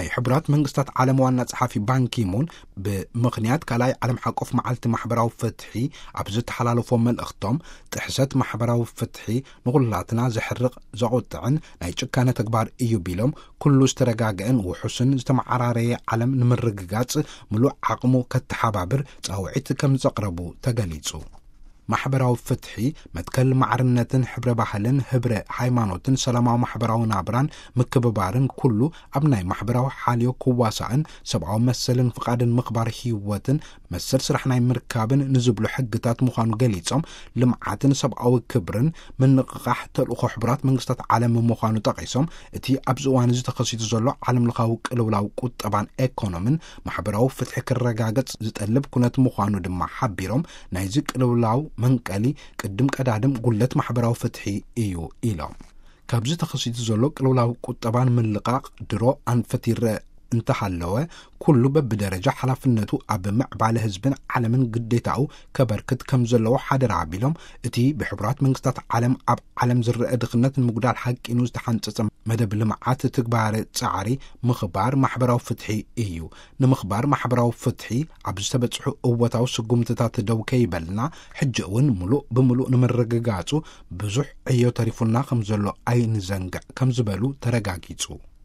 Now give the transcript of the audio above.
ናይ ሕቡራት መንግስታት ዓለም ዋና ጸሓፊ ባንኪሙን ብምኽንያት ካልኣይ ዓለም ሓቆፍ መዓልቲ ማሕበራዊ ፍትሒ ኣብ ዝተሓላለፎ መልእኽቶም፣ ጥሕሰት ማሕበራዊ ፍትሒ ንኹላትና ዘሕርቕ፣ ዘቑጥዕን ናይ ጭካነ ተግባር እዩ ቢሎም፣ ኩሉ ዝተረጋገአን ውሑስን ዝተመዓራረየ ዓለም ንምርግጋጽ ምሉእ ዓቕሙ ከተሓባብር ጻውዒት ከም ዘቕረቡ ተገሊጹ። ማሕበራዊ ፍትሒ፣ መትከል ማዕርነትን ሕብረ ባህልን፣ ህብረ ሃይማኖትን፣ ሰላማዊ ማሕበራዊ ናብራን ምክብባርን፣ ኩሉ ኣብ ናይ ማሕበራዊ ሓልዮ ክዋሳእን ሰብኣዊ መሰልን ፍቓድን ምኽባር ህይወትን መሰል ስራሕ ናይ ምርካብን ንዝብሉ ሕግታት ምዃኑ ገሊጾም፣ ልምዓትን ሰብኣዊ ክብርን ምንቕቓሕ ተልእኾ ሕቡራት መንግስታት ዓለም ምዃኑ ጠቒሶም፣ እቲ ኣብዚ እዋን እዚ ተኸሲቱ ዘሎ ዓለምለኻዊ ቅልውላው ቁጠባን ኤኮኖምን ማሕበራዊ ፍትሒ ክረጋገጽ ዝጠልብ ኩነት ምዃኑ ድማ ሓቢሮም፣ ናይዚ ቅልውላው መንቀሊ ቅድም ቀዳድም ጉለት ማሕበራዊ ፍትሒ እዩ ኢሎም። ካብዚ ተኸሲቱ ዘሎ ቅልውላው ቁጠባን ምልቃቕ ድሮ ኣንፈት ይረአ እንተሃለወ፣ ኩሉ በብደረጃ ሓላፍነቱ ኣብ ምዕባለ ህዝብን ዓለምን ግዴታኡ ከበርክት ከም ዘለዎ ሓደራ ኣቢሎም፣ እቲ ብሕቡራት መንግስታት ዓለም ኣብ ዓለም ዝረአ ድኽነት ንምጉዳል ሓቂኑ ዝተሓንጸጸ መደብ ልምዓት ትግባረ ጻዕሪ ምኽባር ማሕበራዊ ፍትሒ እዩ። ንምኽባር ማሕበራዊ ፍትሒ ኣብ ዝተበጽሑ እወታዊ ስጉምትታት ደው ከይበልና፣ ሕጂ እውን ምሉእ ብምሉእ ንምርግጋጹ ብዙሕ ዕዮ ተሪፉና ከም ዘሎ ኣይንዘንግዕ ከም ዝበሉ ተረጋጊጹ።